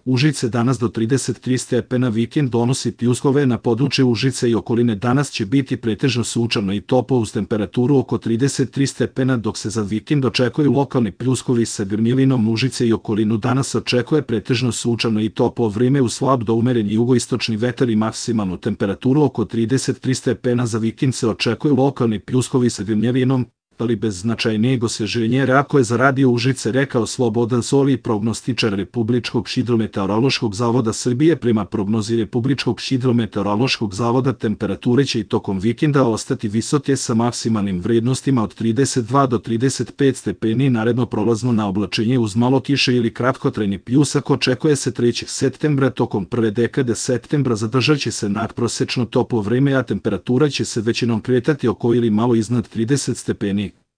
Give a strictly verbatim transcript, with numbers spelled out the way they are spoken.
Užice danas do trideset tri stepena, vikend donositi uslove na području Užice i okoline. Danas će biti pretežno sunčano i toplo uz temperaturu oko trideset tri stepena, dok se za vikend očekuju lokalni pljuskovi sa grmilinom. Užice i okolinu danas očekuje pretežno sunčano i toplo vrijeme uz slab do umeren jugoistočni vetar i maksimalnu temperaturu oko trideset tri stepena. Za vikend se očekuju lokalni pljuskovi sa grmilinom, ali bez značajnijeg osvježenja, ako je za radio Užice rekao Slobodan Soli, prognostičar Republičkog hidrometeorološkog zavoda Srbije. Prema prognozi Republičkog hidrometeorološkog zavoda, temperature će i tokom vikenda ostati visoke sa maksimalnim vrednostima od trideset dva do trideset pet stepeni. Naredno prolazno na oblačenje uz malo kiše ili kratkotrajni pljusak očekuje se trećeg septembra. Tokom prve dekade septembra zadržat će se nadprosečno toplo vrijeme, a temperatura će se većinom kretati oko ili malo iznad trideset stepeni.